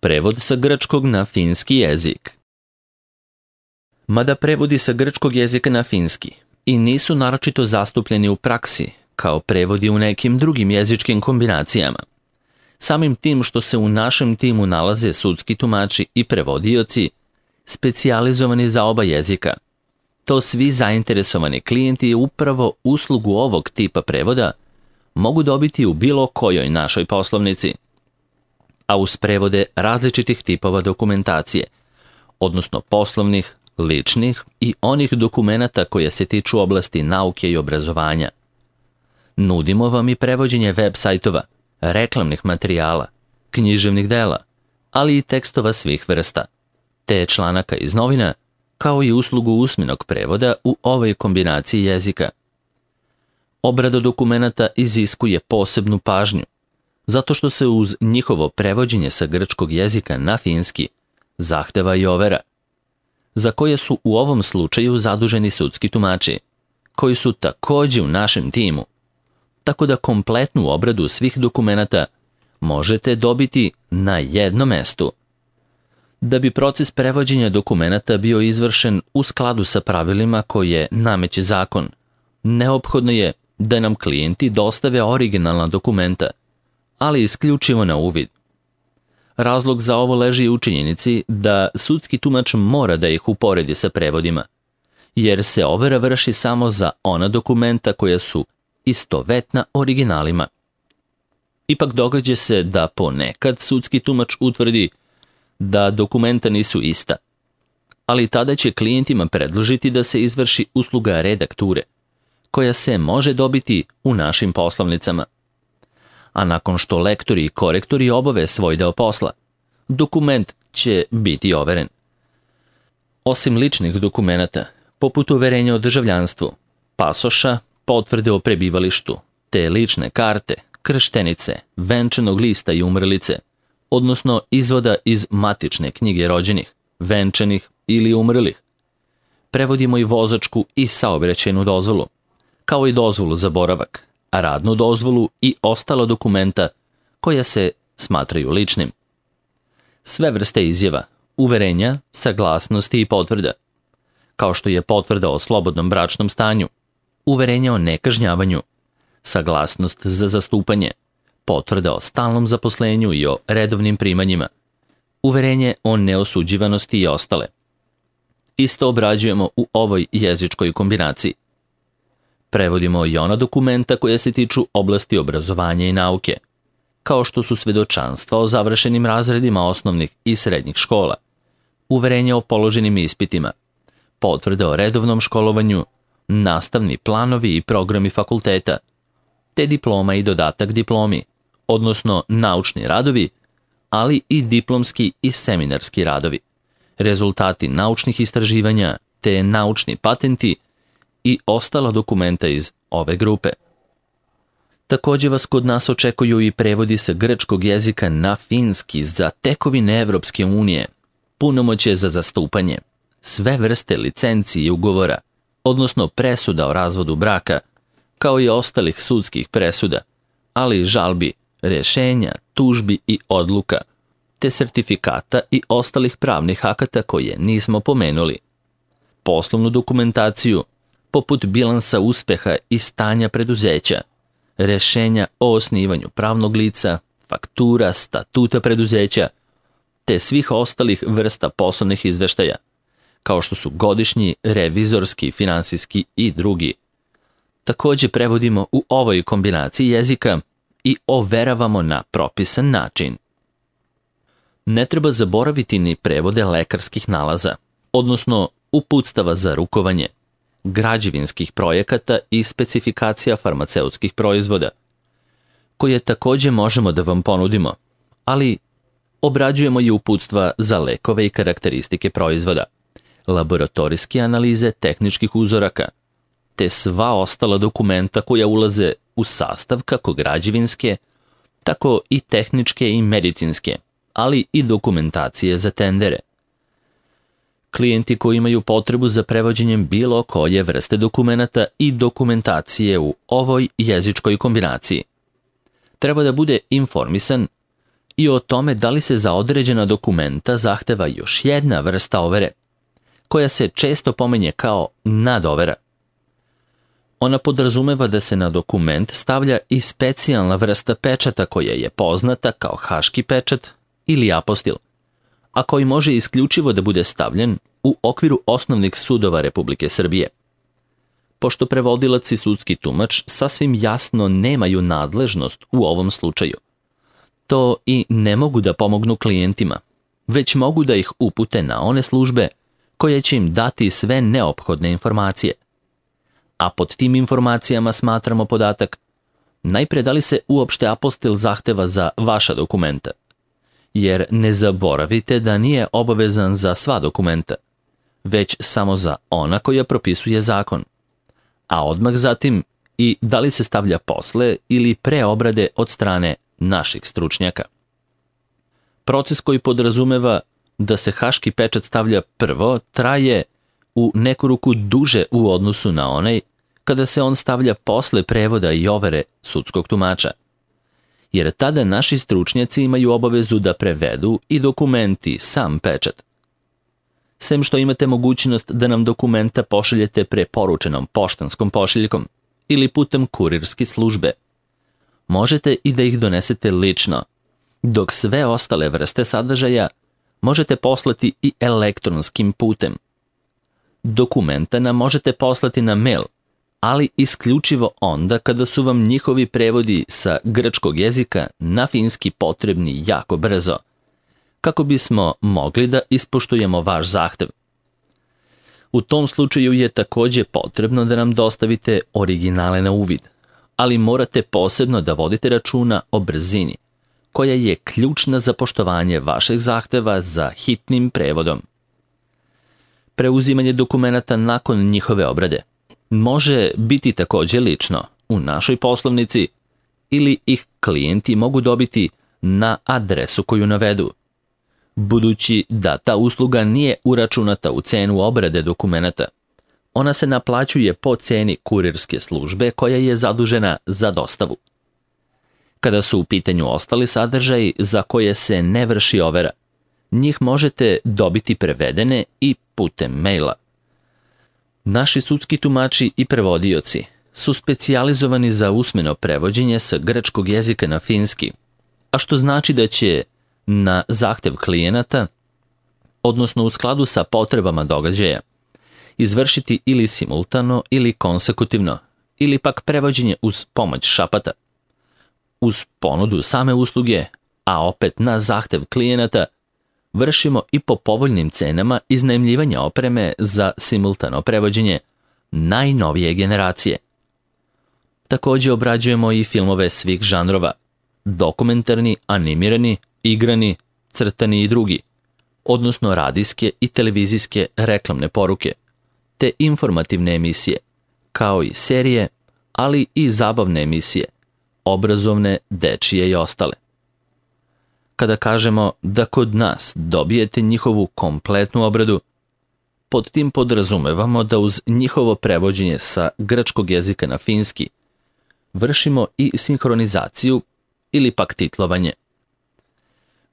Prevod sa grčkog na finski jezik. Mada prevodi sa grčkog jezika na finski i nisu naročito zastupljeni u praksi, kao prevodi u nekim drugim jezičkim kombinacijama. Samim tim što se u našem timu nalaze sudski tumači i prevodioci, specijalizovani za oba jezika, to svi zainteresovani klijenti upravo uslugu ovog tipa prevoda mogu dobiti u bilo kojoj našoj poslovnici, a uz prevode različitih tipova dokumentacije, odnosno poslovnih, ličnih i onih dokumenata koje se tiču oblasti nauke i obrazovanja. Nudimo vam i prevođenje web sajtova, reklamnih materijala, književnih dela, ali i tekstova svih vrsta, te članaka iz novina, kao i uslugu usmenog prevoda u ovoj kombinaciji jezika. Obrada dokumenata iziskuje posebnu pažnju, zato što se uz njihovo prevođenje sa grčkog jezika na finski zahteva i overa, za koje su u ovom slučaju zaduženi sudski tumači, koji su također u našem timu, tako da kompletnu obradu svih dokumenata možete dobiti na jednom mestu. Da bi proces prevođenja dokumenata bio izvršen u skladu sa pravilima koje nameće zakon, neophodno je da nam klijenti dostave originalna dokumenta, ali isključivo na uvid. Razlog za ovo leži u činjenici da sudski tumač mora da ih uporedi sa prevodima, jer se overa vrši samo za ona dokumenta koja su istovetna originalima. Ipak događa se da ponekad sudski tumač utvrdi da dokumenta nisu ista, ali tada će klijentima predložiti da se izvrši usluga redakture, koja se može dobiti u našim poslovnicama. A nakon što lektori i korektori obave svoj deo posla, dokument će biti overen. Osim ličnih dokumenata, poput uverenja o državljanstvu, pasoša, potvrde o prebivalištu, te lične karte, krštenice, venčanog lista i umrlice, odnosno izvoda iz matične knjige rođenih, venčanih ili umrlih, prevodimo i vozačku i saobraćajnu dozvolu, kao i dozvolu za boravak, radnu dozvolu i ostala dokumenta koja se smatraju ličnim. Sve vrste izjava, uverenja, saglasnosti i potvrda, kao što je potvrda o slobodnom bračnom stanju, uverenja o nekažnjavanju, saglasnost za zastupanje, potvrda o stalnom zaposlenju i o redovnim primanjima, uverenje o neosuđivanosti i ostale. Isto obrađujemo u ovoj jezičkoj kombinaciji. Prevodimo i ona dokumenta koja se tiču oblasti obrazovanja i nauke, kao što su svedočanstva o završenim razredima osnovnih i srednjih škola, uverenja o položenim ispitima, potvrde o redovnom školovanju, nastavni planovi i programi fakulteta, te diploma i dodatak diplomi, odnosno naučni radovi, ali i diplomski i seminarski radovi, rezultati naučnih istraživanja, te naučni patenti i ostala dokumenta iz ove grupe. Također vas kod nas očekuju i prevodi sa grčkog jezika na finski za tekovine Evropske unije, punomoćje za zastupanje, sve vrste licenci i ugovora, odnosno presuda o razvodu braka, kao i ostalih sudskih presuda, ali i žalbi, rješenja, tužbi i odluka, te sertifikata i ostalih pravnih akata koje nismo pomenuli. Poslovnu dokumentaciju, poput bilansa uspeha i stanja preduzeća, rješenja o osnivanju pravnog lica, faktura, statuta preduzeća, te svih ostalih vrsta poslovnih izveštaja, kao što su godišnji, revizorski, finansijski i drugi. Također prevodimo u ovoj kombinaciji jezika i overavamo na propisan način. Ne treba zaboraviti ni prevode lekarskih nalaza, odnosno uputstava za rukovanje, građevinskih projekata i specifikacija farmaceutskih proizvoda, koje također možemo da vam ponudimo, ali obrađujemo i uputstva za lekove i karakteristike proizvoda, laboratorijske analize tehničkih uzoraka, te sva ostala dokumenta koja ulaze u sastav kako građevinske, tako i tehničke i medicinske, ali i dokumentacije za tendere. Klijenti koji imaju potrebu za prevođenjem bilo koje vrste dokumenata i dokumentacije u ovoj jezičkoj kombinaciji treba da bude informisan i o tome da li se za određena dokumenta zahteva još jedna vrsta overe, koja se često pominje kao nadovera. Ona podrazumeva da se na dokument stavlja i specijalna vrsta pečata koja je poznata kao haški pečat ili apostil, a koji može isključivo da bude stavljen u okviru osnovnih sudova Republike Srbije. Pošto prevodilac i sudski tumač sasvim jasno nemaju nadležnost u ovom slučaju, to i ne mogu da pomognu klijentima, već mogu da ih upute na one službe koje će im dati sve neophodne informacije. A pod tim informacijama smatramo podatak najpre da li se uopšte apostil zahteva za vaša dokumenta, jer ne zaboravite da nije obavezan za sva dokumenta, već samo za ona koja propisuje zakon, a odmah zatim i da li se stavlja posle ili pre obrade od strane naših stručnjaka. Proces koji podrazumeva da se haški pečat stavlja prvo traje u neku ruku duže u odnosu na onaj kada se on stavlja posle prevoda i overe sudskog tumača, jer tada naši stručnjaci imaju obavezu da prevedu i dokumenti sam pečat. Sem što imate mogućnost da nam dokumenta pošaljete preporučenom poštanskom pošiljkom ili putem kurirske službe, možete i da ih donesete lično, dok sve ostale vrste sadržaja možete poslati i elektronskim putem. Dokumenta nam možete poslati na mail, ali isključivo onda kada su vam njihovi prevodi sa grčkog jezika na finski potrebni jako brzo, kako bismo mogli da ispoštujemo vaš zahtev. U tom slučaju je takođe potrebno da nam dostavite originale na uvid, ali morate posebno da vodite računa o brzini, koja je ključna za poštovanje vašeg zahteva za hitnim prevodom. Preuzimanje dokumenata nakon njihove obrade može biti takođe lično u našoj poslovnici ili ih klijenti mogu dobiti na adresu koju navedu. Budući da ta usluga nije uračunata u cenu obrade dokumenata, ona se naplaćuje po ceni kurirske službe koja je zadužena za dostavu. Kada su u pitanju ostali sadržaji za koje se ne vrši overa, njih možete dobiti prevedene i putem maila. Naši sudski tumači i prevodioci su specijalizovani za usmeno prevođenje sa grčkog jezika na finski, a što znači da će na zahtev klijenata, odnosno u skladu sa potrebama događaja, izvršiti ili simultano ili konsekutivno, ili pak prevođenje uz pomoć šapata. Uz ponudu same usluge, a opet na zahtev klijenata, vršimo i po povoljnim cenama iznajmljivanja opreme za simultano prevođenje najnovije generacije. Takođe obrađujemo i filmove svih žanrova, dokumentarni, animirani, igrani, crtani i drugi, odnosno radijske i televizijske reklamne poruke, te informativne emisije, kao i serije, ali i zabavne emisije, obrazovne, dečije i ostale. Kada kažemo da kod nas dobijete njihovu kompletnu obradu, pod tim podrazumevamo da uz njihovo prevođenje sa grčkog jezika na finski vršimo i sinhronizaciju ili pak titlovanje.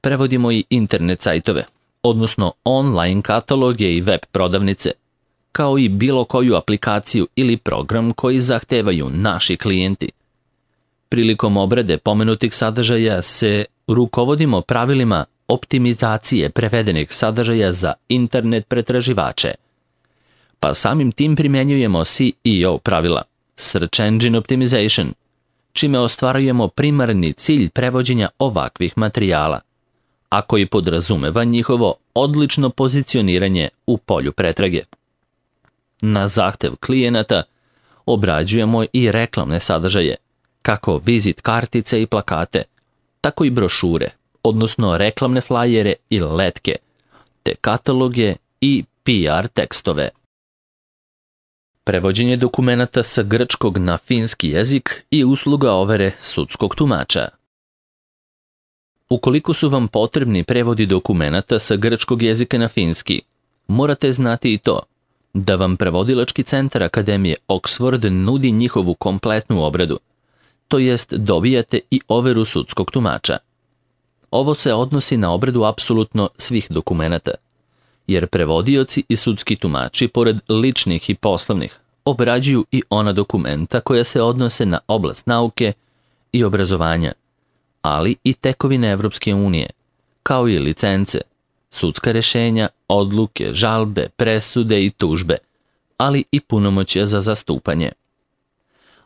Prevodimo i internet sajtove, odnosno online kataloge i web prodavnice, kao i bilo koju aplikaciju ili program koji zahtevaju naši klijenti. Prilikom obrade pomenutih sadržaja se rukovodimo pravilima optimizacije prevedenih sadržaja za internet pretraživače, pa samim tim primenjujemo SEO pravila, Search Engine Optimization, čime ostvarujemo primarni cilj prevođenja ovakvih materijala, a koji podrazumeva njihovo odlično pozicioniranje u polju pretrage. Na zahtev klijenata obrađujemo i reklamne sadržaje, kako vizit kartice i plakate, tako i brošure, odnosno reklamne flajere i letke, te kataloge i PR tekstove. Prevođenje dokumenata sa grčkog na finski jezik i usluga overe sudskog tumača. Ukoliko su vam potrebni prevodi dokumenata sa grčkog jezika na finski, morate znati i to da vam prevodilački centar Akademije Oxford nudi njihovu kompletnu obradu, to jest dobijate i overu sudskog tumača. Ovo se odnosi na obradu apsolutno svih dokumenata, jer prevodioci i sudski tumači, pored ličnih i poslovnih, obrađuju i ona dokumenta koja se odnose na oblast nauke i obrazovanja, ali i tekovine Evropske unije, kao i licence, sudska rešenja, odluke, žalbe, presude i tužbe, ali i punomoćja za zastupanje.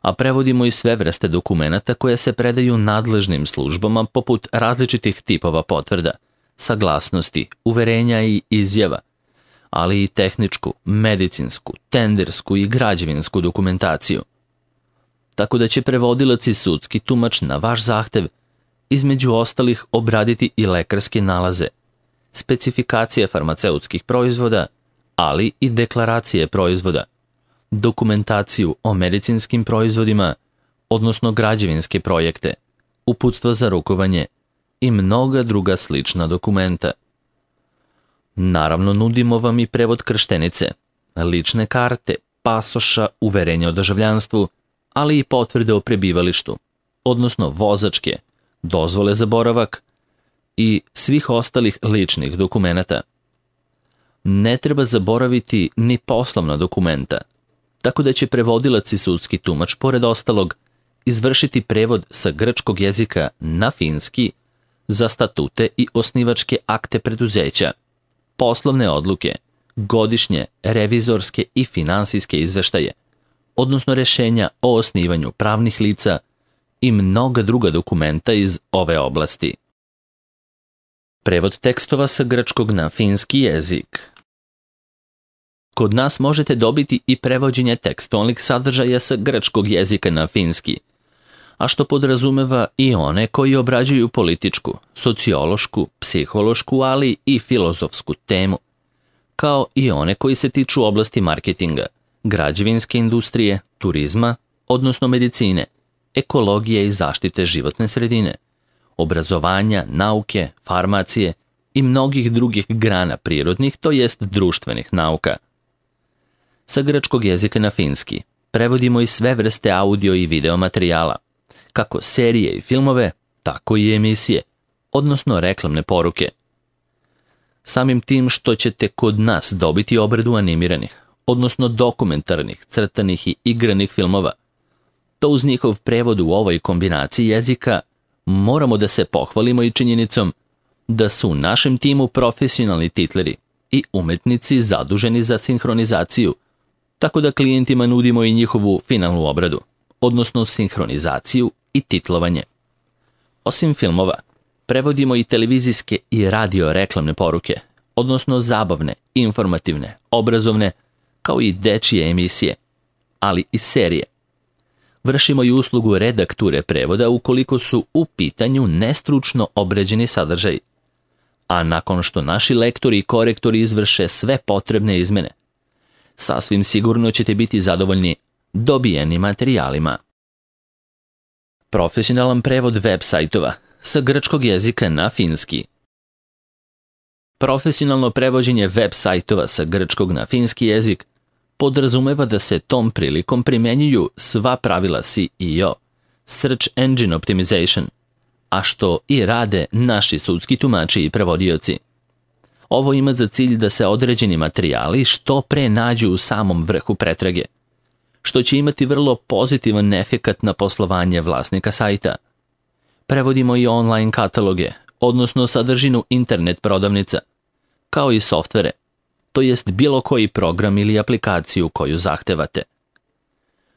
A prevodimo i sve vrste dokumenata koje se predaju nadležnim službama poput različitih tipova potvrda, saglasnosti, uverenja i izjava, ali i tehničku, medicinsku, tendersku i građevinsku dokumentaciju. Tako da će prevodilac i sudski tumač na vaš zahtev između ostalih obraditi i lekarske nalaze, specifikacije farmaceutskih proizvoda, ali i deklaracije proizvoda, dokumentaciju o medicinskim proizvodima, odnosno građevinske projekte, uputstva za rukovanje i mnoga druga slična dokumenta. Naravno, nudimo vam i prevod krštenice, lične karte, pasoša, uverenja o državljanstvu, ali i potvrde o prebivalištu, odnosno vozačke, dozvole za boravak i svih ostalih ličnih dokumenata. Ne treba zaboraviti ni poslovna dokumenta, tako da će prevodilac i sudski tumač, pored ostalog, izvršiti prevod sa grčkog jezika na finski za statute i osnivačke akte preduzeća, poslovne odluke, godišnje, revizorske i finansijske izveštaje, odnosno rešenja o osnivanju pravnih lica i mnoga druga dokumenta iz ove oblasti. Prevod tekstova sa grčkog na finski jezik. Kod nas možete dobiti i prevođenje tekstualnih sadržaja sa grčkog jezika na finski, a što podrazumeva i one koji obrađuju političku, sociološku, psihološku, ali i filozofsku temu, kao i one koji se tiču oblasti marketinga, građevinske industrije, turizma, odnosno medicine, ekologije i zaštite životne sredine, obrazovanja, nauke, farmacije i mnogih drugih grana prirodnih, to jest društvenih nauka. Sa grčkog jezika na finski prevodimo i sve vrste audio i video materijala, kako serije i filmove, tako i emisije, odnosno reklamne poruke. Samim tim što ćete kod nas dobiti obradu animiranih, odnosno dokumentarnih, crtanih i igranih filmova, to uz njihov prevod u ovoj kombinaciji jezika moramo da se pohvalimo i činjenicom da su u našem timu profesionalni titleri i umetnici zaduženi za sinhronizaciju, tako da klijentima nudimo i njihovu finalnu obradu, odnosno sinhronizaciju i titlovanje. Osim filmova, prevodimo i televizijske i radio reklamne poruke, odnosno zabavne, informativne, obrazovne, kao i dečije emisije, ali i serije. Vršimo i uslugu redakture prevoda ukoliko su u pitanju nestručno obrađeni sadržaj, a nakon što naši lektori i korektori izvrše sve potrebne izmene, sasvim sigurno ćete biti zadovoljni dobijenim materijalima. Profesionalan prevod web sajtova sa grčkog jezika na finski. Profesionalno prevođenje web sajtova sa grčkog na finski jezik podrazumeva da se tom prilikom primenjuju sva pravila SEO, Search Engine Optimization, a što i rade naši sudski tumači i prevodioci. Ovo ima za cilj da se određeni materijali što pre nađu u samom vrhu pretrage, što će imati vrlo pozitivan efekat na poslovanje vlasnika sajta. Prevodimo i online kataloge, odnosno sadržinu internet prodavnica, kao i softvere, to jest bilo koji program ili aplikaciju koju zahtevate.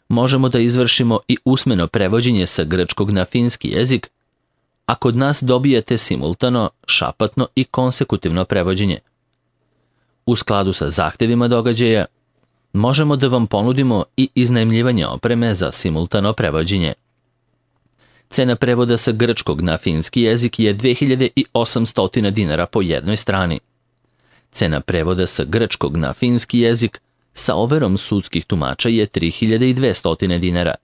Možemo da izvršimo i usmeno prevođenje sa grčkog na finski jezik, a kod nas dobijete simultano, šapatno i konsekutivno prevođenje. U skladu sa zahtevima događaja, možemo da vam ponudimo i iznajmljivanje opreme za simultano prevođenje. Cena prevoda sa grčkog na finski jezik je 2800 dinara po jednoj strani. Cena prevoda sa grčkog na finski jezik sa overom sudskih tumača je 3200 dinara.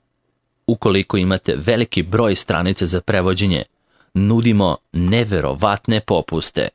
Ukoliko imate veliki broj stranica za prevođenje, nudimo neverovatne popuste.